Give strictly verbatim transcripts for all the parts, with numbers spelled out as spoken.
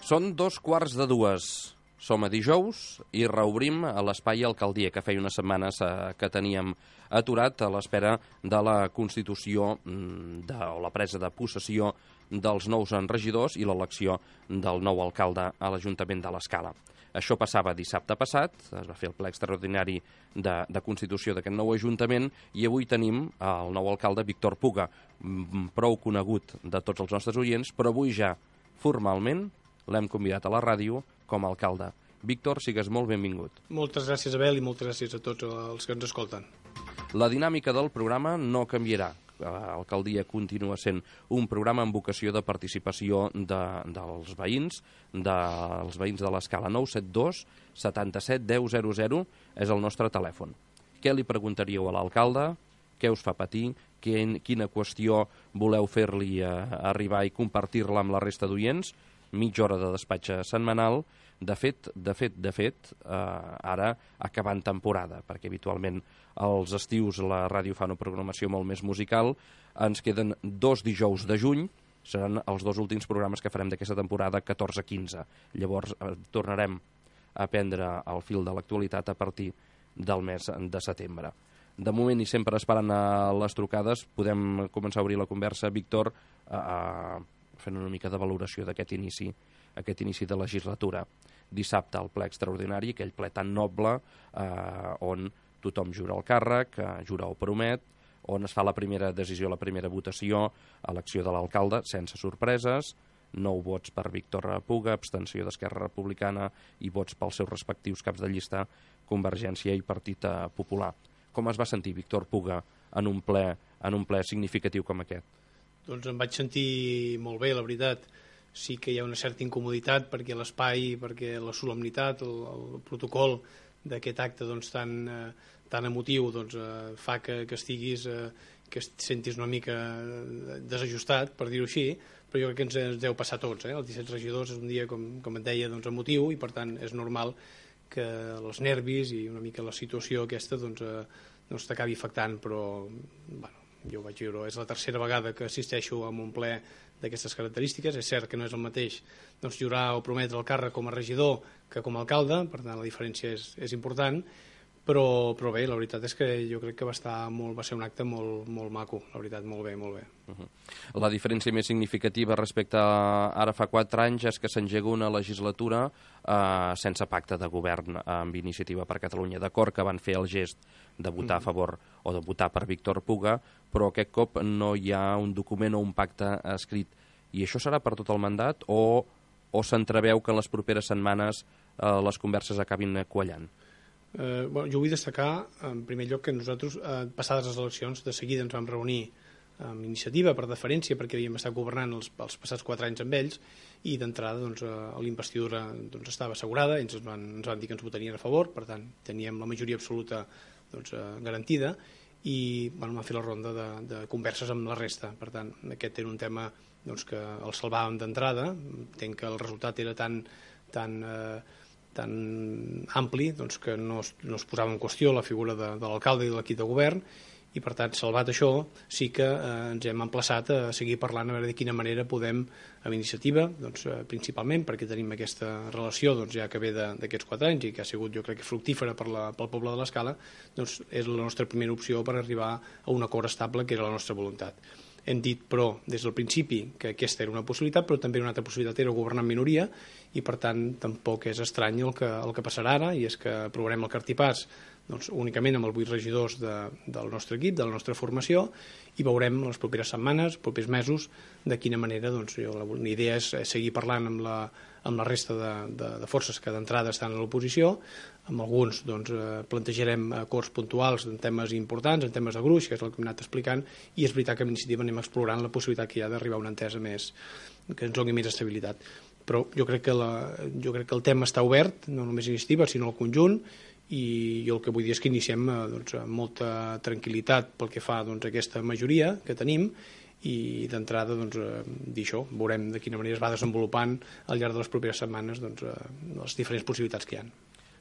Són dos quarts de dues. Som a dijous i reobrim a l'Espai Alcaldia, que feia unes setmanes eh, que teníem aturat a l'espera de la constitució de, o la presa de possessió dels nous regidors i l'elecció del nou alcalde a l'Ajuntament de l'Escala. Això passava dissabte passat, es va fer el ple extraordinari de, de constitució d'aquest nou Ajuntament i avui tenim el nou alcalde Víctor Puga, prou conegut de tots els nostres oients, però avui ja formalment l'hem convidat a la ràdio com a alcalde. Víctor, sigues molt benvingut. Moltes gràcies, Abel, i moltes gràcies a tots els que ens escolten. La dinàmica del programa no canviarà. L'alcaldia continua sent un programa amb vocació de participació de, dels veïns, dels veïns de l'Escala. Nou set dos setanta-set deu zero zero és el nostre telèfon. Què li preguntaríeu a l'alcalde? Què us fa patir? Quina qüestió voleu fer-li arribar i compartir-la amb la resta d'oients? Mitja hora de despatx setmanal. De fet, de fet, de fet, eh, ara acabant temporada, perquè habitualment als estius la ràdio fa una programació molt més musical. Ens queden dos dijous de juny, seran els dos últims programes que farem d'aquesta temporada, catorze quinze. Llavors eh, tornarem a prendre el fil de l'actualitat a partir del mes de setembre. De moment, i sempre esperant a les trucades, podem començar a obrir la conversa, Víctor, eh, fent una mica de valoració d'aquest inici, aquest inici de legislatura. Dissabte el ple extraordinari, aquell ple tan noble eh, on tothom jura el càrrec, eh, jura o promet, on es fa la primera decisió, la primera votació, elecció de l'alcalde, sense sorpreses, nou vots per Víctor Puga, abstenció d'Esquerra Republicana i vots pels seus respectius caps de llista, Convergència i Partit Popular. Com es va sentir Víctor Puga en un ple, en un ple significatiu com aquest? Doncs em vaig sentir molt bé, la veritat. Sí que hi ha una certa incomoditat perquè l'espai, perquè la solemnitat, el, el protocol d'aquest acte doncs, tan, eh, tan emotiu doncs, eh, fa que, que estiguis, eh, que et sentis una mica desajustat, per dir-ho així, però jo crec que ens, ens deu passar a tots. Eh? Els disset regidors és un dia, com, com et deia, doncs, emotiu i per tant és normal que els nervis i una mica la situació aquesta doncs, eh, doncs t'acabi afectant, però bueno, jo ho vaig viure. És la tercera vegada que assisteixo a un ple d'aquestes característiques. És cert que no és el mateix doncs, jurar o prometre el càrrec com a regidor que com a alcalde, per tant la diferència és, és important, però, però bé, la veritat és que jo crec que va, estar molt, va ser un acte molt, molt maco, la veritat, molt bé, molt bé. Uh-huh. La diferència més significativa respecte a ara fa quatre anys és que s'engega una legislatura eh, sense pacte de govern amb Iniciativa per Catalunya. D'acord que van fer el gest de votar a favor o de votar per Víctor Puga, però aquest cop no hi ha un document o un pacte escrit. I això serà per tot el mandat o, o s'entreveu que en les properes setmanes eh, les converses acabin quallant? Eh, bueno, jo vull destacar, en primer lloc, que nosaltres, eh, passades les eleccions, de seguida ens vam reunir amb Iniciativa per deferència, perquè havíem estat governant els, els passats quatre anys amb ells, i d'entrada doncs, l'investidura doncs, estava assegurada, ells ens van, ens van dir que ens votarien a favor, per tant teníem la majoria absoluta doncs, eh, garantida, i bueno, vam fer la ronda de, de converses amb la resta. Per tant, aquest era un tema doncs, que el salvàvem d'entrada. Entenc que el resultat era tan, tan, eh, tan ampli doncs, que no es, no es posava en qüestió la figura de, de l'alcalde i de l'equip de govern, i per tant, salvat això, sí que eh, ens hem emplaçat a seguir parlant a veure de quina manera podem, amb Iniciativa, doncs, eh, principalment perquè tenim aquesta relació doncs, ja que ve d'aquests quatre anys i que ha sigut, jo crec que fructífera per la, pel poble de l'Escala, doncs és la nostra primera opció per arribar a un acord estable, que era la nostra voluntat. Hem dit, però, des del principi que aquesta era una possibilitat, però també una altra possibilitat era governar en minoria, i per tant tampoc és estrany el que, el que passarà ara, i és que aprovarem el cartipàs doncs, únicament amb els vuit regidors de, del nostre equip, de la nostra formació, i veurem les properes setmanes, propers mesos, de quina manera doncs, jo, la, la idea és seguir parlant amb la, amb la resta de, de, de forces que d'entrada estan a l'oposició. Amb alguns doncs, eh, plantejarem acords puntuals en temes importants, en temes de gruix, que és el que hem anat explicant, i és veritat que amb Iniciativa anem explorant la possibilitat que hi ha d'arribar a una entesa més, que ens doni més estabilitat. Però jo crec que, la, jo crec que el tema està obert, no només Iniciativa, sinó el conjunt, i jo el que vull dir és que iniciem doncs, amb molta tranquil·litat pel que fa doncs, a aquesta majoria que tenim, i d'entrada doncs, dir això, veurem de quina manera es va desenvolupant al llarg de les properes setmanes doncs, les diferents possibilitats que hi ha.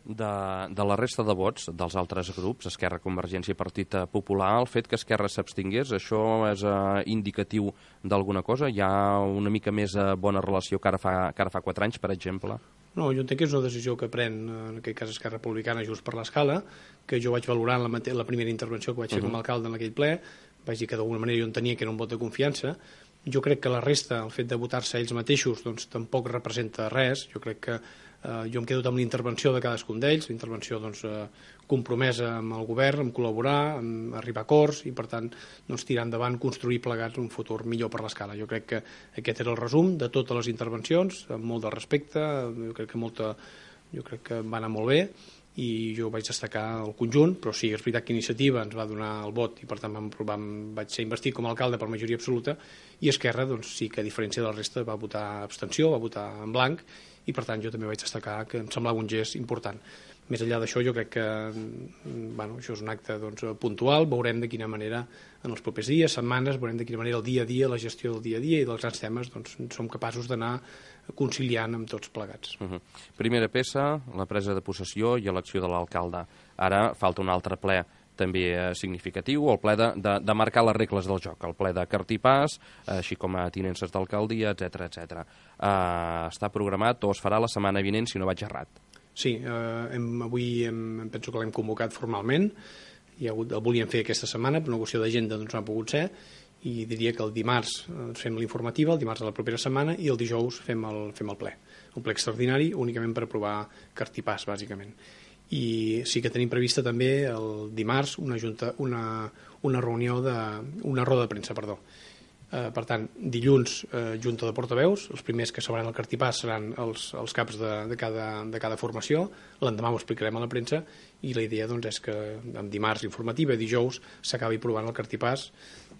de, de la resta de vots dels altres grups, Esquerra, Convergència i Partit Popular, el fet que Esquerra s'abstingués, això és uh, indicatiu d'alguna cosa? Hi ha una mica més uh, bona relació que ara, fa, que ara fa quatre anys, per exemple? No, jo entenc que és una decisió que pren, en aquest cas Esquerra Republicana, just per l'escala, que jo vaig valorar en la, la primera intervenció que vaig fer uh -huh. com a alcalde en aquell ple, vaig dir que d'alguna manera jo entenia que era un vot de confiança. Jo crec que la resta, el fet de votar-se ells mateixos, doncs tampoc representa res. Jo crec que eh, jo em quedo amb la intervenció de cadascun d'ells, la intervenció doncs, eh, compromesa amb el govern, amb col·laborar, amb arribar a acords i, per tant, doncs, tirar endavant, construir plegats un futur millor per l'escala. Jo crec que aquest era el resum de totes les intervencions, amb molt de respecte, jo crec que, molta, jo crec que va anar molt bé, i jo vaig destacar el conjunt, però sí, és veritat que Iniciativa ens va donar el vot i per tant vam, vam, vaig ser investit com a alcalde per majoria absoluta, i Esquerra doncs, sí que a diferència de la resta va votar abstenció, va votar en blanc, i per tant jo també vaig destacar que em semblava un gest important. Més enllà d'això jo crec que bueno, això és un acte doncs, puntual, veurem de quina manera en els propers dies, setmanes, veurem de quina manera el dia a dia, la gestió del dia a dia i dels grans temes doncs, som capaços d'anar conciliant amb tots plegats. Uh -huh. Primera peça, la presa de possessió i elecció de l'alcalde. Ara falta un altre ple també eh, significatiu, el ple de, de, de marcar les regles del joc, el ple de cartipàs, eh, així com a tinences d'alcaldia, etcètera, etcètera. Eh, està programat o es farà la setmana vinent, si no vaig errat. Sí, eh, hem, avui hem, penso que l'hem convocat formalment, hi ha hagut, el volíem fer aquesta setmana, per una qüestió d'agenda doncs no ha pogut ser, i diria que el dimarts eh, fem l'informativa, el dimarts de la propera setmana, i el dijous fem el, fem el ple. Un ple extraordinari únicament per aprovar cartipàs, bàsicament. I sí que tenim prevista també el dimarts una, junta, una, una reunió de, una roda de premsa, perdó. Eh, per tant, dilluns eh, junta de portaveus, els primers que s'obran el cartipàs seran els, els caps de, de, cada, de cada formació, l'endemà ho explicarem a la premsa, i la idea doncs, és que en dimarts informativa, dijous, s'acabi provant el cartipàs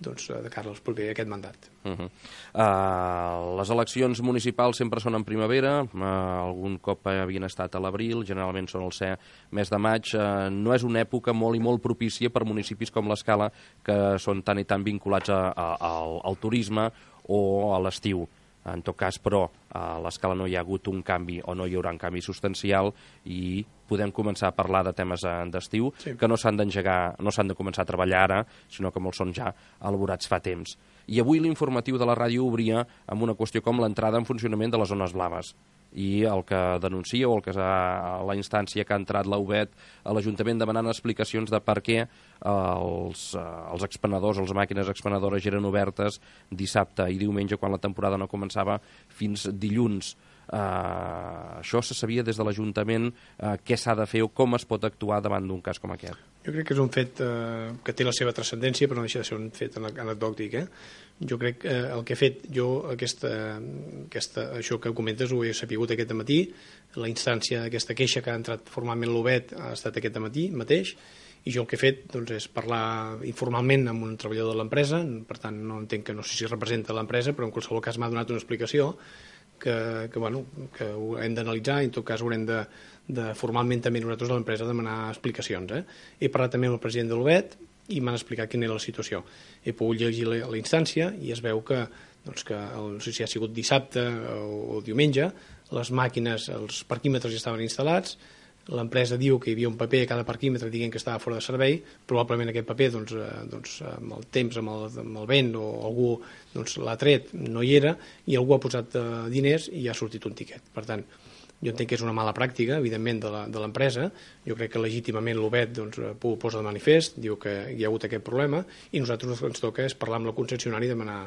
doncs, de cara al proper aquest mandat. Uh -huh. uh, les eleccions municipals sempre són en primavera, uh, algun cop havien estat a l'abril, generalment són el ser mes de maig. Uh, no és una època molt i molt propícia per municipis com l'Escala, que són tan i tan vinculats a, a, a, al turisme o a l'estiu. En tot cas, però, a l'Escala no hi ha hagut un canvi o no hi haurà un canvi substancial i podem començar a parlar de temes d'estiu sí. que no s'han d'engegar, no s'han de començar a treballar ara, sinó que molts són ja elaborats fa temps. I avui l'informatiu de la ràdio obria amb una qüestió com l'entrada en funcionament de les zones blaves. I el que denuncia o el que ha, la instància que ha entrat l'A U B E T a l'Ajuntament demanant explicacions de per què els, els expenedors, les màquines expenedores eren obertes dissabte i diumenge quan la temporada no començava fins dilluns. Uh, això se sabia des de l'Ajuntament, uh, què s'ha de fer o com es pot actuar davant d'un cas com aquest? Jo crec que és un fet uh, que té la seva transcendència, però no deixa de ser un fet anecdòtic. Eh? Jo crec que eh, el que he fet jo, aquesta, aquesta, això que comentes, ho he sapigut aquest matí, la instància d'aquesta queixa que ha entrat formalment l'U B E T ha estat aquest matí mateix, i jo el que he fet doncs, és parlar informalment amb un treballador de l'empresa, per tant no entenc que no sé si representa l'empresa, però en qualsevol cas m'ha donat una explicació que, que, bueno, que ho hem d'analitzar i en tot cas haurem de, de formalment també nosaltres de l'empresa demanar explicacions. Eh? He parlat també amb el president de l'U B E T i m'han explicat quina era la situació. He pogut llegir la, la instància i es veu que, doncs, que el, no sé si ha sigut dissabte o, o diumenge, les màquines, els parquímetres ja estaven instal·lats, l'empresa diu que hi havia un paper a cada parquímetre dient que estava fora de servei, probablement aquest paper doncs, eh, doncs, amb el temps, amb el, amb el vent o algú doncs, l'ha tret, no hi era, i algú ha posat eh, diners i ha sortit un tiquet. Per tant, jo entenc que és una mala pràctica, evidentment, de l'empresa. Jo crec que legítimament l'U B E T doncs, ho posa de manifest, diu que hi ha hagut aquest problema, i nosaltres el que ens toca és parlar amb la concessionària i demanar,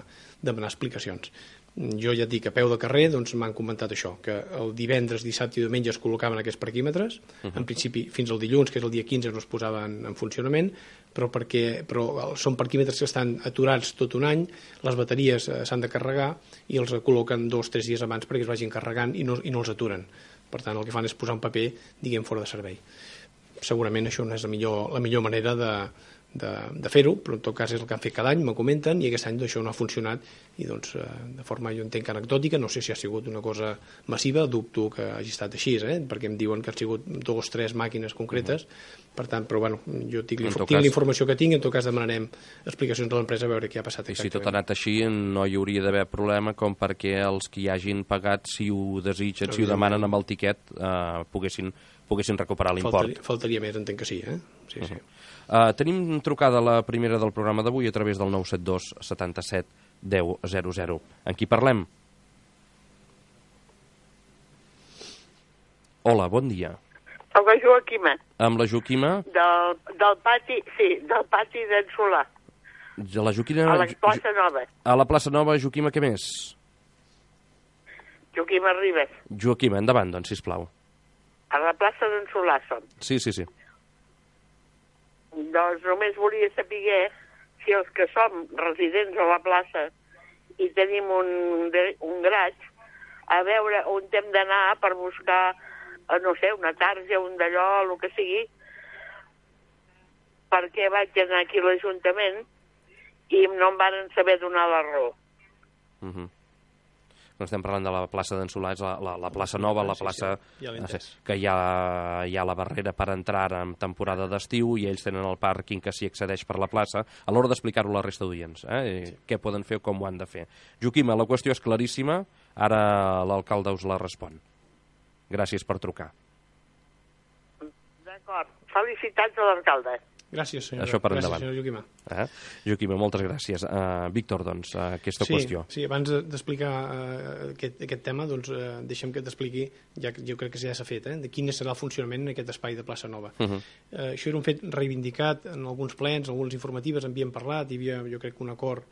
demanar explicacions. Jo ja et dic, a peu de carrer doncs, m'han comentat això, que el divendres, dissabte i diumenge es col·locaven aquests parquímetres, uh -huh. en principi fins al dilluns, que és el dia quinze, no es posaven en funcionament, però, perquè, però són parquímetres que estan aturats tot un any, les bateries eh, s'han de carregar i els col·loquen dos o tres dies abans perquè es vagin carregant i no, i no els aturen. Per tant, el que fan és posar un paper, diguem, fora de servei. Segurament això no és la millor, la millor manera de, de, de fer-ho, però en tot cas és el que han fet cada any, me comenten, i aquest any això no ha funcionat, i doncs de forma, jo entenc, anecdòtica, no sé si ha sigut una cosa massiva, dubto que hagi estat així, eh? perquè em diuen que han sigut dos o tres màquines concretes, uh -huh. per tant, però bueno, jo tinc, tinc cas... la informació que tinc, en tot cas demanarem explicacions a l'empresa a veure què ha passat exactament. I si tot ha anat així, no hi hauria d'haver problema com perquè els que hi hagin pagat, si ho desitgen, si ho demanen amb el tiquet, eh, poguessin poguessin recuperar l'import. Faltaria, faltaria més, entenc que sí, eh? Sí, uh -huh. sí. Uh, tenim trucada la primera del programa d'avui a través del nou set dos setanta-set deu zero zero. En qui parlem? Hola, bon dia. Amb la Joaquima. Amb la Joaquima? Del, del pati, sí, del pati d'en Solà. De la Joaquima... A la plaça Nova. A la plaça Nova, Joaquima, què més? Joaquima Ribes. Joaquima, endavant, doncs, sisplau. A la plaça d'en Solà som. Sí, sí, sí. Doncs només volia saber si els que som residents a la plaça i tenim un, un graig, a veure on hem d'anar per buscar, no sé, una tarja, un d'allò, el que sigui, perquè vaig anar aquí a l'Ajuntament i no em van saber donar la raó. Uh -huh. No estem parlant de la plaça d'en Solà, és la, la, la plaça Nova, la plaça sí, sí. Ja que hi ha, hi ha la barrera per entrar en temporada d'estiu i ells tenen el pàrquing que s'hi accedeix per la plaça, a l'hora d'explicar-ho a la resta d'oients, eh? Sí. Què poden fer o com ho han de fer. Joaquima, la qüestió és claríssima, ara l'alcalde us la respon. Gràcies per trucar. D'acord. Felicitats a l'alcalde. Gràcies, senyora. Això per gràcies, endavant. senyora Joaquima. Eh? Joaquima, moltes gràcies. Uh, Víctor, doncs, uh, aquesta sí, qüestió. Sí, abans d'explicar uh, aquest, aquest tema, doncs, uh, deixem que t'expliqui, ja que jo crec que ja s'ha fet, eh, de quin serà el funcionament en aquest espai de plaça Nova. Uh -huh. uh, això era un fet reivindicat en alguns plens, en algunes informatives, havíem parlat, hi havia, jo crec, un acord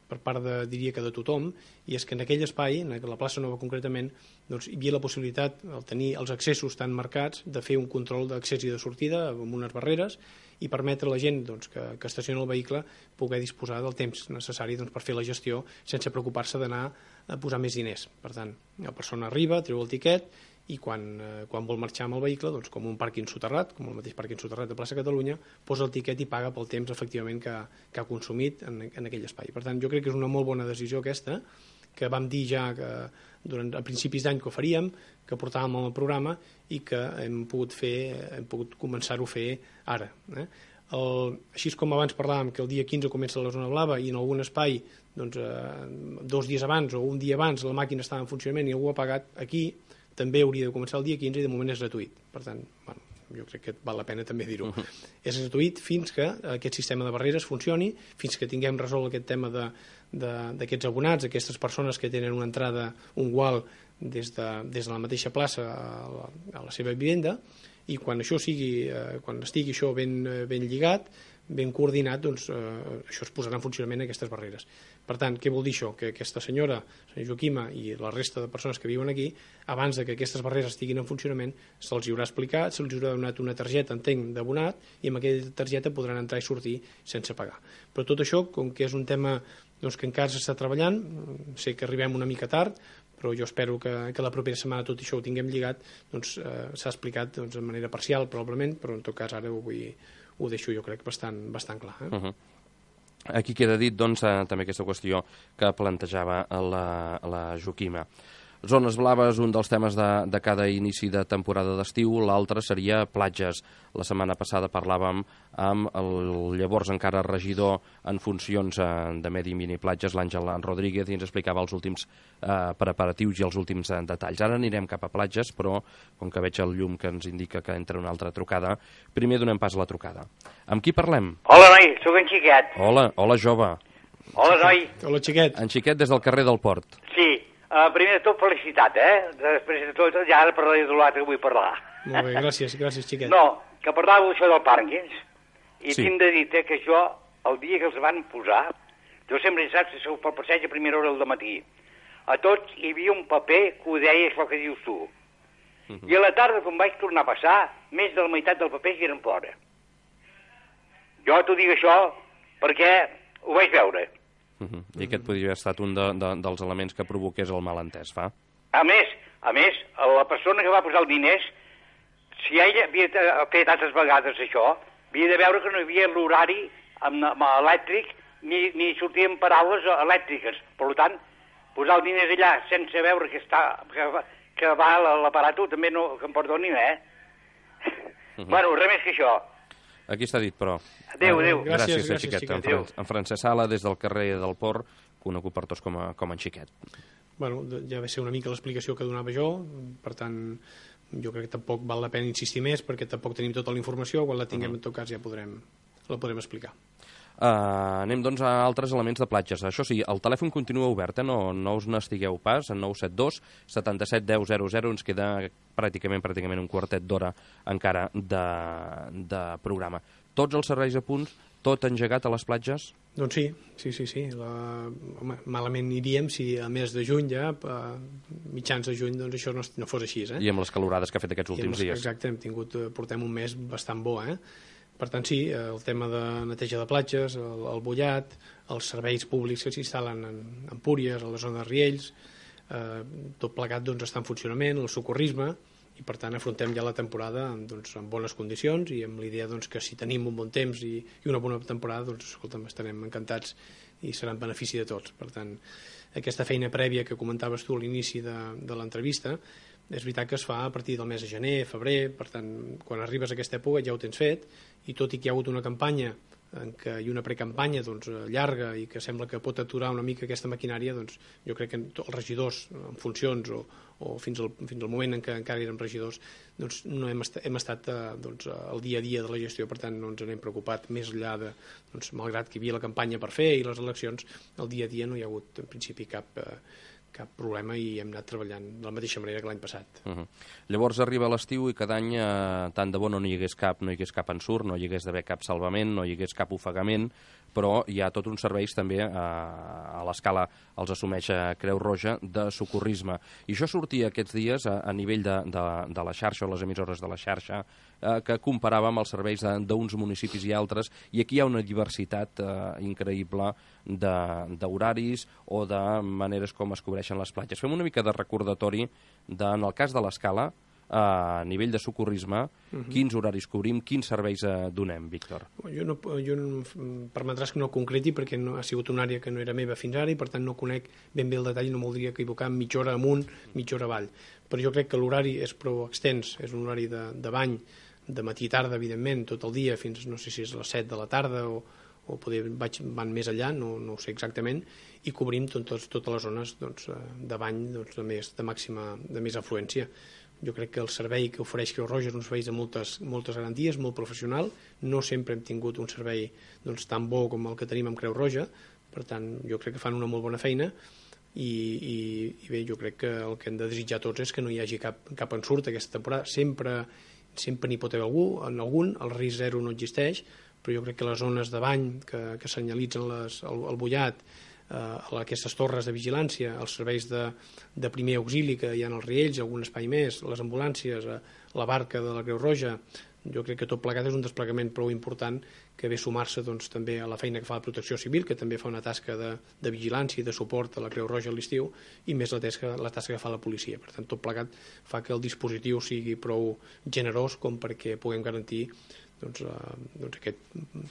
per part de, diria que de tothom, i és que en aquell espai, en la plaça Nova concretament, doncs, hi havia la possibilitat, al tenir els accessos tan marcats, de fer un control d'accés i de sortida amb unes barreres i permetre a la gent doncs, que, que estaciona el vehicle poder disposar del temps necessari doncs, per fer la gestió sense preocupar-se d'anar a posar més diners. Per tant, la persona arriba, treu el tiquet i quan, eh, quan vol marxar amb el vehicle, doncs, com un pàrquing soterrat, com el mateix pàrquing soterrat de plaça Catalunya, posa el tiquet i paga pel temps efectivament que, que ha consumit en, en aquell espai. Per tant, jo crec que és una molt bona decisió aquesta, que vam dir ja que durant, a principis d'any que ho faríem, que portàvem al programa i que hem pogut fer, hem pogut començar-ho a fer ara. Eh? El, així com abans parlàvem que el dia quinze comença la zona blava i en algun espai doncs, eh, dos dies abans o un dia abans la màquina estava en funcionament i algú ha pagat, aquí també hauria de començar el dia quinze i de moment és gratuït. Per tant, bueno, jo crec que val la pena també dir-ho. Uh-huh. És gratuït fins que aquest sistema de barreres funcioni, fins que tinguem resolt aquest tema de d'aquests abonats, aquestes persones que tenen una entrada, un gual des de, des de la mateixa plaça a la, a la seva vivenda, i quan això sigui, eh, quan estigui això ben, ben lligat, ben coordinat, doncs eh, això es posarà en funcionament aquestes barreres. Per tant, què vol dir això? Que aquesta senyora, senyora Joaquima, i la resta de persones que viuen aquí, abans de que aquestes barreres estiguin en funcionament, se'ls haurà explicat, se'ls haurà donat una targeta, entenc, d'abonat, i amb aquella targeta podran entrar i sortir sense pagar. Però tot això, com que és un tema doncs, que encara s'està treballant, sé que arribem una mica tard, però jo espero que, que la propera setmana tot això ho tinguem lligat, doncs eh, s'ha explicat doncs, de manera parcial, probablement, però en tot cas ara ho, vull, ho deixo jo crec bastant, bastant clar. Eh? Uh-huh. Aquí queda dit doncs, eh, també aquesta qüestió que plantejava la, la Joaquima. Zones blaves, un dels temes de, de cada inici de temporada d'estiu, l'altre seria platges. La setmana passada parlàvem amb el llavors encara regidor en funcions eh, de Medi i Mini Platges, l'Àngel Rodríguez, i ens explicava els últims eh, preparatius i els últims eh, detalls. Ara anirem cap a platges, però com que veig el llum que ens indica que entra una altra trucada, primer donem pas a la trucada. Amb qui parlem? Hola, noi, sóc en Xiquet. Hola, hola, jove. Hola, noi. Hola, Xiquet. En Xiquet des del carrer del Port. Sí. Uh, primer de tot, felicitat, eh? Després de tot, ja ara parlaré de l'altre que vull parlar. Molt bé, gràcies, gràcies, Xiquet. No, que parlàveu això del pàrquings, i sí. tinc de dir eh, que jo, el dia que els van posar, jo sempre he saps que sou pel passeig a primera hora del matí. A tots hi havia un paper que ho deia això que dius tu. Uh -huh. I a la tarda, quan vaig tornar a passar, més de la meitat del paper hi eren fora. Jo t'ho dic això perquè ho vaig veure. Uh -huh. I aquest podria haver estat un de, de, dels elements que provoqués el malentès, fa? A més, a més, la persona que va posar els diners, si ella havia fet altres vegades això, havia de veure que no hi havia l'horari amb, amb elèctric ni, ni sortien paraules elèctriques. Per tant, posar els diners allà sense veure que, està, que, que va l'aparato també no, que em perdonin, eh? Uh -huh. Bueno, res més que això. Aquí està dit, però. Adéu, adéu. Gràcies, gràcies, Xiquet. Xiquet. En, Fran en Francesc Sala, des del carrer del Port, conegut per tots com a, com en Xiquet. Bueno, ja va ser una mica l'explicació que donava jo, per tant, jo crec que tampoc val la pena insistir més perquè tampoc tenim tota la informació, quan la tinguem uh -huh. en tot cas ja podrem, la podrem explicar. Uh, anem doncs a altres elements de platges. Això sí, el telèfon continua obert, eh? no, no us n'estigueu pas, en nou set dos setanta-set deu zero zero. Ens queda pràcticament pràcticament un quartet d'hora encara de, de programa. Tots els serveis a punts, tot engegat a les platges? Doncs sí, sí, sí, sí. La... Home, malament iríem si a mes de juny ja, a mitjans de juny, doncs això no, no fos així, eh? I amb les calorades que ha fet aquests últims les... dies. Exacte, hem tingut, portem un mes bastant bo, eh? Per tant, sí, el tema de neteja de platges, el, el bullat, els serveis públics que s'instal·len en, en Empúries, a la zona de Riells, eh, tot plegat doncs, està en funcionament, el socorrisme, i per tant afrontem ja la temporada doncs, en bones condicions i amb l'idea doncs, que si tenim un bon temps i, i una bona temporada, doncs escolta'm, estarem encantats i serà en benefici de tots. Per tant, aquesta feina prèvia que comentaves tu a l'inici de, de l'entrevista, és veritat que es fa a partir del mes de gener, febrer, per tant, quan arribes a aquesta època ja ho tens fet, i tot i que hi ha hagut una campanya en què hi ha una precampanya doncs, llarga i que sembla que pot aturar una mica aquesta maquinària, doncs, jo crec que els regidors en funcions o, o fins, al, fins al moment en què encara érem regidors doncs, no hem, est hem estat eh, doncs, al dia a dia de la gestió, per tant no ens n'hem preocupat més enllà de, doncs, malgrat que hi havia la campanya per fer i les eleccions, el dia a dia no hi ha hagut en principi cap... Eh, cap problema i hem anat treballant de la mateixa manera que l'any passat. Uh -huh. Llavors arriba l'estiu i cada any eh, tant de bo no hi hagués cap, no hi hagués cap ensurt, no hi hagués d'haver cap salvament, no hi hagués cap ofegament, però hi ha tots uns serveis també eh, a l'escala els assumeix a Creu Roja de socorrisme. I això sortia aquests dies a, a nivell de, de, de la xarxa o les emissores de la xarxa eh, que comparàvem els serveis d'uns municipis i altres, i aquí hi ha una diversitat eh, increïble d'horaris o de maneres com es cobreixen les platges. Fem una mica de recordatori de, en el cas de l'escala, a nivell de socorrisme, uh-huh. quins horaris cobrim, quins serveis eh, donem, Víctor? Jo, no, jo no, permetràs que no concreti perquè no, ha sigut una àrea que no era meva fins ara i per tant no conec ben bé el detall, no m'ho diria equivocar mitja hora amunt, mitja hora avall. Però jo crec que l'horari és prou extens, és un horari de, de bany, de matí i tarda, evidentment, tot el dia, fins no sé si és a les set de la tarda o o poder vaig, van més enllà, no, no ho sé exactament, i cobrim tot, tot, totes les zones doncs, de bany doncs, de, més, de màxima, de més afluència. Jo crec que el servei que ofereix Creu Roja és un servei de moltes, moltes garanties, molt professional, no sempre hem tingut un servei doncs, tan bo com el que tenim amb Creu Roja, per tant jo crec que fan una molt bona feina i, i, i bé, jo crec que el que hem de desitjar tots és que no hi hagi cap, cap ensurt aquesta temporada, sempre sempre n'hi pot haver algú, en algun, el risc zero no existeix, però jo crec que les zones de bany que, que senyalitzen les, el, el bullat, eh, aquestes torres de vigilància, els serveis de, de primer auxili que hi ha als Riells, algun espai més, les ambulàncies, eh, la barca de la Creu Roja, jo crec que tot plegat és un desplegament prou important que ve sumar-se doncs, també a la feina que fa la Protecció Civil, que també fa una tasca de, de vigilància i de suport a la Creu Roja a l'estiu, i més la tasca, la tasca que fa la policia. Per tant, tot plegat fa que el dispositiu sigui prou generós com perquè puguem garantir doncs, eh, doncs aquest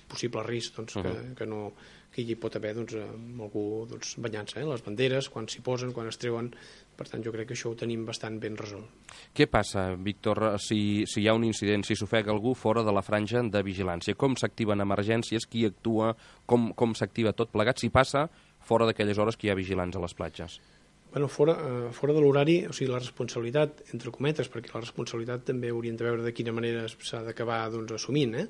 possible risc doncs, que, uh-huh. que, no, que hi pot haver doncs, amb algú doncs, banyant-se, eh? Les banderes, quan s'hi posen, quan es treuen. Per tant, jo crec que això ho tenim bastant ben resolt. Què passa, Víctor, si, si hi ha un incident, si s'ofega algú fora de la franja de vigilància? Com s'activen emergències? Qui actua? Com, com s'activa tot plegat? Si passa fora d'aquelles hores que hi ha vigilants a les platges? Bueno, fora, eh, fora de l'horari, o sigui, la responsabilitat, entre cometes, perquè la responsabilitat també hauríem de veure de quina manera s'ha d'acabar doncs, assumint, eh?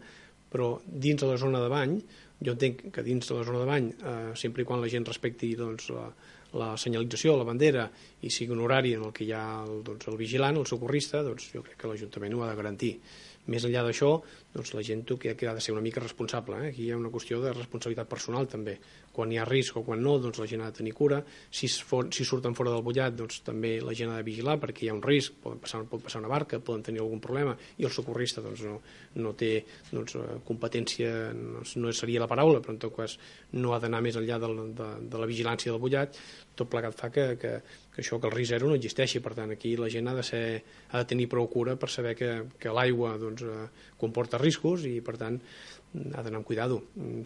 Però dins de la zona de bany, jo entenc que dins de la zona de bany, eh, sempre i quan la gent respecti doncs, la, la senyalització, la bandera, i sigui un horari en el que hi ha el, doncs, el vigilant, el socorrista, doncs jo crec que l'Ajuntament ho ha de garantir. Més enllà d'això, doncs la gent que ha de ser una mica responsable. Eh? Aquí hi ha una qüestió de responsabilitat personal també. Quan hi ha risc o quan no, doncs la gent ha de tenir cura. Si, for, si surten fora del bullat, doncs també la gent ha de vigilar perquè hi ha un risc, pot passar, pot passar una barca, poden tenir algun problema, i el socorrista doncs, no, no té doncs, competència, no, no seria la paraula, però en tot cas no ha d'anar més enllà de la, de, de la vigilància del bullat. Tot plegat fa que, que, que això, que el risc zero no existeixi. Per tant, aquí la gent ha de, ser, ha de tenir prou cura per saber que, que l'aigua doncs, comporta riscos i, per tant, ha d'anar amb cuidado.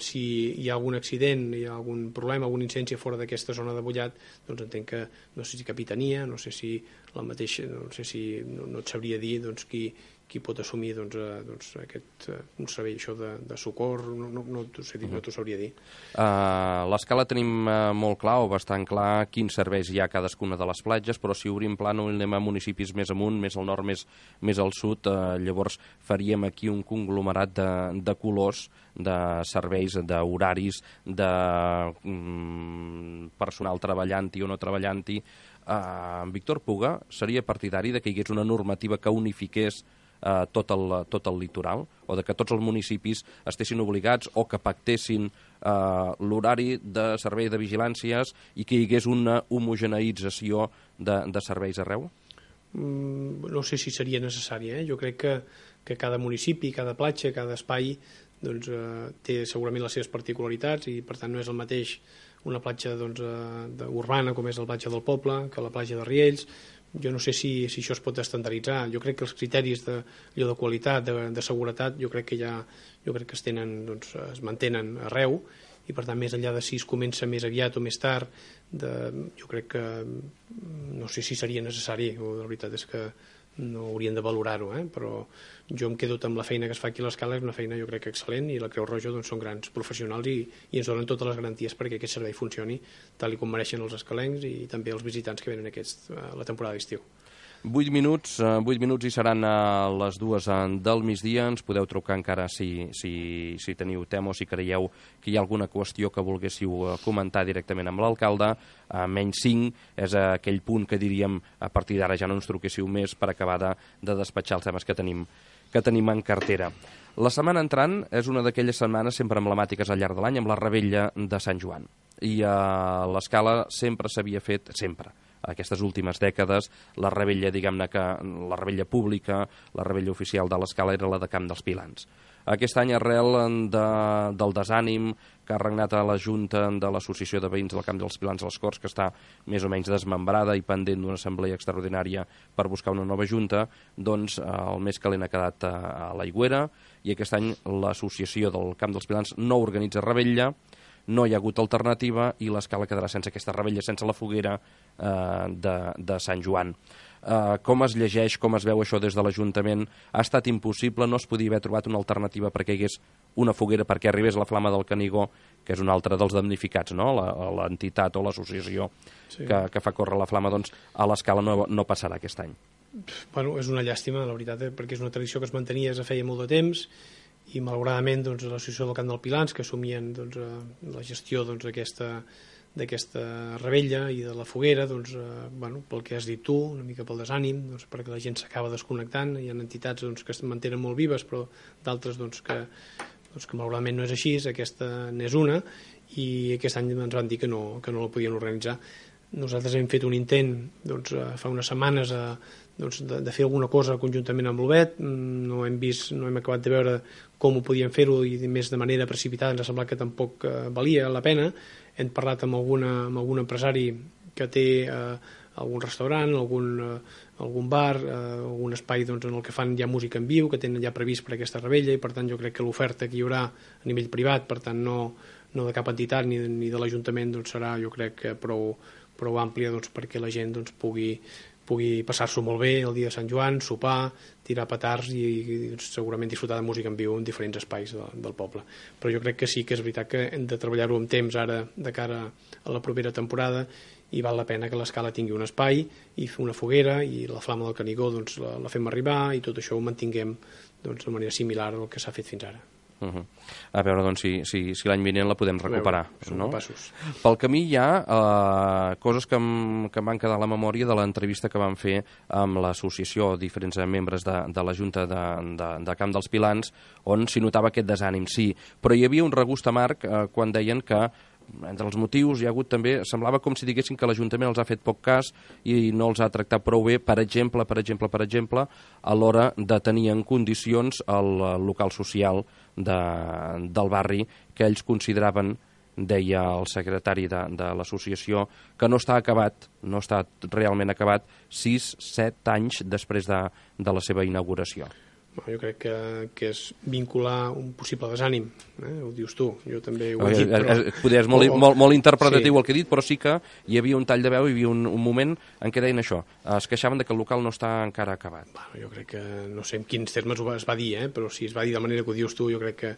Si hi ha algun accident, hi ha algun problema, alguna incidència fora d'aquesta zona de bullat, doncs entenc que, no sé si capitania, no sé si la mateixa, no sé si, no, no et sabria dir doncs, qui, qui pot assumir doncs, eh, doncs, aquest, eh, un servei això de, de socor, no, no, no t'ho sé dir, no t'ho sabria dir. Uh, l'escala tenim uh, molt clar o bastant clar quins serveis hi ha a cadascuna de les platges, però si obrim plànol i anem a municipis més amunt, més al nord, més, més al sud, uh, llavors faríem aquí un conglomerat de, de colors, de serveis, d'horaris, de um, personal treballant-hi o no treballant-hi. Uh, Víctor Puga seria partidari de que hi hagués una normativa que unifiqués Uh, tot, el, tot el litoral, o de que tots els municipis estessin obligats o que pactessin uh, l'horari de servei de vigilàncies i que hi hagués una homogeneïtzació de, de serveis arreu? Mm, no sé si seria necessari. Eh? Jo crec que, que cada municipi, cada platja, cada espai doncs, uh, té segurament les seves particularitats i per tant no és el mateix una platja doncs, uh, de, urbana com és la platja del poble que la platja de Riells. Jo no sé si, si això es pot estandarditzar. Jo crec que els criteris de, de qualitat, de, de seguretat, jo crec que ja jo crec que es, tenen, doncs, es mantenen arreu i per tant més enllà de si es comença més aviat o més tard, de, jo crec que no sé si seria necessari, o la veritat és que no haurien de valorar-ho, eh? Però jo em quedo amb la feina que es fa aquí a l'Escala, és una feina jo crec que excel·lent i la Creu Roja doncs, són grans professionals i, i ens donen totes les garanties perquè aquest servei funcioni tal i com mereixen els escalencs i també els visitants que venen aquest, a la temporada d'estiu. Vuit minuts, vuit minuts i seran a les dues del migdia. Ens podeu trucar encara si, si, si teniu tema o si creieu que hi ha alguna qüestió que volguéssiu comentar directament amb l'alcalde. A menys cinc és aquell punt que diríem a partir d'ara ja no ens truquéssiu més per acabar de, de despatxar els temes que tenim, que tenim en cartera. La setmana entrant és una d'aquelles setmanes sempre emblemàtiques al llarg de l'any amb la Revetlla de Sant Joan. I a l'Escala sempre s'havia fet, sempre, aquestes últimes dècades, la revetlla, diguem-ne que la revetlla pública, la revetlla oficial de l'Escala era la de Camp dels Pilans. Aquest any, arrel de, del desànim que ha regnat a la Junta de l'Associació de Veïns del Camp dels Pilans a les Corts, que està més o menys desmembrada i pendent d'una assemblea extraordinària per buscar una nova Junta, doncs el més calent ha quedat a l'Aigüera i aquest any l'associació del Camp dels Pilans no organitza revetlla, no hi ha hagut alternativa i l'Escala quedarà sense aquesta revetlla, sense la foguera eh, de, de Sant Joan. Eh, com es llegeix, com es veu això des de l'Ajuntament? Ha estat impossible, no es podia haver trobat una alternativa perquè hi hagués una foguera, perquè arribés la Flama del Canigó, que és un altre dels damnificats, no? L'entitat o l'associació sí. que, que fa córrer la Flama, doncs a l'Escala no, no passarà aquest any. Bueno, és una llàstima, la veritat, eh? perquè és una tradició que es mantenia des de feia molt de temps i malauradament doncs, l'associació del Camp dels Pilans que assumien doncs, la gestió doncs, d'aquesta rebella i de la foguera doncs, eh, bueno, pel que has dit tu, una mica pel desànim, doncs, perquè la gent s'acaba desconnectant, hi ha entitats doncs, que es mantenen molt vives però d'altres doncs, que, doncs, que malauradament no és així, aquesta n'és una i aquest any ens van dir que no, que no la podien organitzar. Nosaltres hem fet un intent doncs, fa unes setmanes a, doncs, de, de fer alguna cosa conjuntament amb l'Obet, no hem vist, no hem acabat de veure com ho podíem fer-ho i més de manera precipitada ens ha semblat que tampoc eh, valia la pena. Hem parlat amb, alguna, amb algun empresari que té eh, algun restaurant, algun, eh, algun bar, eh, algun espai doncs, en el que fan ja música en viu, que tenen ja previst per aquesta rebella i per tant jo crec que l'oferta que hi haurà a nivell privat, per tant no, no de cap entitat ni, ni de l'Ajuntament doncs, serà jo crec que prou prou àmplia doncs, perquè la gent doncs, pugui, pugui passar-s'ho molt bé el dia de Sant Joan, sopar, tirar petards i, i doncs, segurament disfrutar de música en viu en diferents espais de, del poble. Però jo crec que sí que és veritat que hem de treballar-ho amb temps ara de cara a la propera temporada i val la pena que l'Escala tingui un espai i fer una foguera i la Flama del Canigó doncs, la, la fem arribar i tot això ho mantinguem doncs, de manera similar al que s'ha fet fins ara. Uh -huh. A veure doncs, si, si, si l'any vinent la podem recuperar. Veure, no? Passos. Pel camí hi ha eh, coses que em, que em van quedar a la memòria de l'entrevista que vam fer amb l'associació, diferents membres de, de la Junta de, de, de Camp dels Pilans, on s'hi notava aquest desànim, sí, però hi havia un regust amarg eh, quan deien que entre els motius hi ha hagut també, semblava com si diguessin que l'Ajuntament els ha fet poc cas i no els ha tractat prou bé, per exemple, per exemple, per exemple, a l'hora de tenir en condicions el local social de, del barri que ells consideraven, deia el secretari de, de l'associació, que no està acabat, no està realment acabat sis, set anys després de, de la seva inauguració. Jo crec que, que és vincular un possible desànim, eh? Ho dius tu, jo també ho he dit, però... Poder és molt, molt, molt interpretatiu sí. El que he dit, però sí que hi havia un tall de veu, hi havia un, un moment en què deien això, es queixaven de que el local no està encara acabat. Bueno, jo crec que, no sé en quins termes es va dir, eh? Però si es va dir de manera que ho dius tu, jo crec que,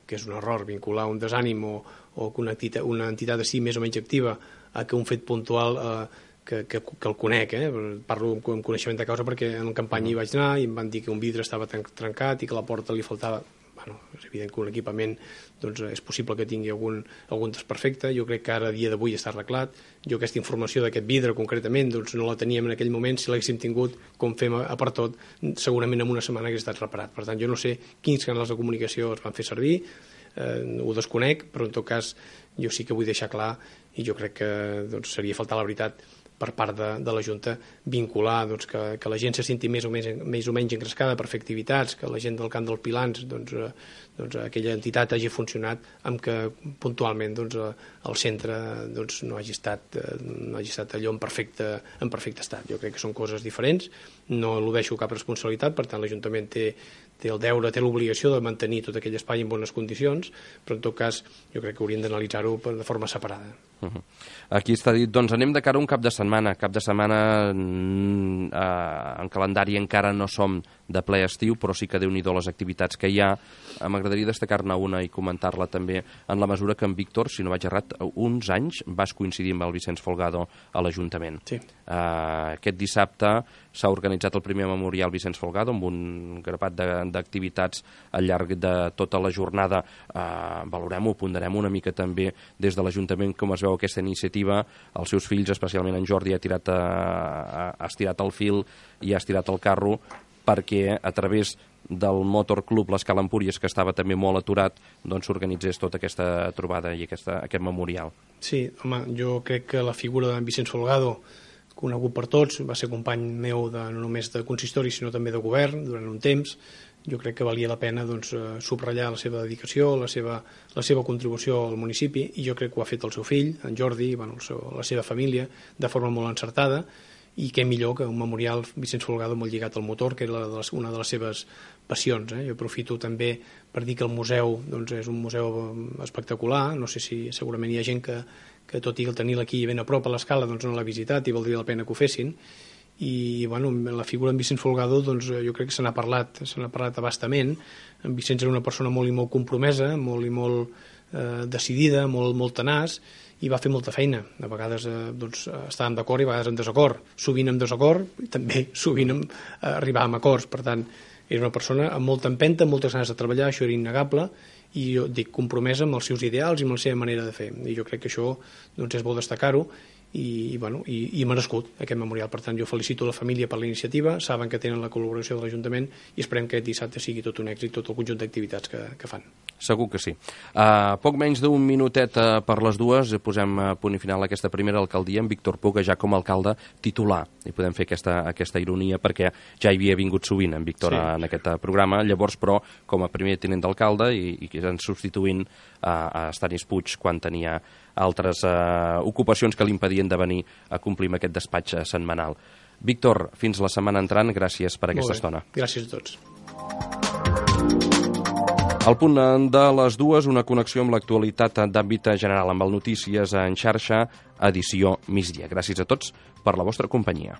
que és un error vincular un desànim o, o que una entitat, una entitat així més o menys activa a que un fet puntual... Eh, Que, que, que el conec, eh? Parlo amb coneixement de causa perquè en campanya hi vaig anar i em van dir que un vidre estava trencat i que a la porta li faltava... Bueno, és evident que un equipament doncs, és possible que tingui algun, algun desperfecte. Jo crec que ara, a dia d'avui, està arreglat. Jo aquesta informació d'aquest vidre, concretament, doncs, no la teníem en aquell moment. Si l'haguéssim tingut, com fem a, a per tot, segurament en una setmana hagués estat reparat. Per tant, jo no sé quins canals de comunicació es van fer servir, eh, ho desconec, però en tot cas jo sí que vull deixar clar, i jo crec que doncs, seria faltar la veritat per part de, de la Junta, vincular doncs, que, que la gent se senti més o, més, més o menys engrescada per fer activitats, que la gent del camp dels Pilans, doncs, eh, doncs, aquella entitat hagi funcionat amb que puntualment doncs, el centre doncs, no, hagi estat, no hagi estat allò en perfecte, en perfecte estat. Jo crec que són coses diferents, no eludeixo cap responsabilitat, per tant l'Ajuntament té, té el deure, té l'obligació de mantenir tot aquell espai en bones condicions, però en tot cas jo crec que hauríem d'analitzar-ho de forma separada. Uh-huh. Aquí està dit, doncs anem de cara a un cap de setmana, cap de setmana mm, eh, en calendari encara no som de ple estiu, però sí que Déu-n'hi-do les activitats que hi ha. M'agradaria destacar-ne una i comentar-la també en la mesura que en Víctor, si no vaig errat, uns anys vas coincidir amb el Vicenç Folgado a l'Ajuntament. Sí. Uh, aquest dissabte s'ha organitzat el primer memorial Vicenç Folgado amb un grapat d'activitats al llarg de tota la jornada. Uh, valorem-ho, ponderem una mica també des de l'Ajuntament com es veu aquesta iniciativa. Els seus fills, especialment en Jordi, ha, tirat a, a, ha estirat el fil i ha estirat el carro perquè a través del Motor Club l'Escala Empúries, que estava també molt aturat, doncs s'organitzés tota aquesta trobada i aquesta, aquest memorial. Sí, home, jo crec que la figura d'en Vicenç Folgado, conegut per tots, va ser company meu de, no només de consistori, sinó també de govern durant un temps. Jo crec que valia la pena doncs, subratllar la seva dedicació, la seva, la seva contribució al municipi, i jo crec que ho ha fet el seu fill, en Jordi, bueno, el seu, la seva família, de forma molt encertada, i què millor que un memorial Vicenç Folgado molt lligat al motor, que era una de les seves passions. Eh? Jo aprofito també per dir que el museu doncs, és un museu espectacular. No sé si segurament hi ha gent que, que tot i el tenir-la aquí ben a prop a l'Escala doncs no l'ha visitat i valdria la pena que ho fessin. I bueno, la figura en Vicenç Folgado doncs, jo crec que se n'ha parlat, se n'ha parlat abastament. En Vicenç era una persona molt i molt compromesa, molt i molt eh, decidida, molt, molt tenaç, i va fer molta feina. A vegades eh, doncs, estàvem d'acord i a vegades en desacord. Sovint en desacord i també sovint en, eh, arribàvem a acords. Per tant, era una persona amb molta empenta, amb moltes ganes de treballar, això era innegable, i jo dic compromesa amb els seus ideals i amb la seva manera de fer. I jo crec que això doncs, és bo destacar-ho, i, i, bueno, i, i merescut aquest memorial. Per tant, jo felicito la família per la iniciativa, saben que tenen la col·laboració de l'Ajuntament i esperem que aquest dissabte sigui tot un èxit, tot el conjunt d'activitats que, que fan. Segur que sí. Uh, poc menys d'un minutet uh, per les dues, posem a punt i final aquesta primera alcaldia amb Víctor Puga ja com a alcalde titular. I podem fer aquesta, aquesta ironia perquè ja hi havia vingut sovint en Víctor sí. en aquest programa, llavors però com a primer tinent d'alcalde i, i que estan substituint uh, a Stanis Puig quan tenia altres uh, ocupacions que li impedien de venir a complir amb aquest despatx uh, setmanal. Víctor, fins la setmana entrant, gràcies per aquesta estona. Gràcies a tots. Al punt de les dues, una connexió amb l'actualitat d'àmbit general, amb el Notícies en xarxa, edició migdia. Gràcies a tots per la vostra companyia.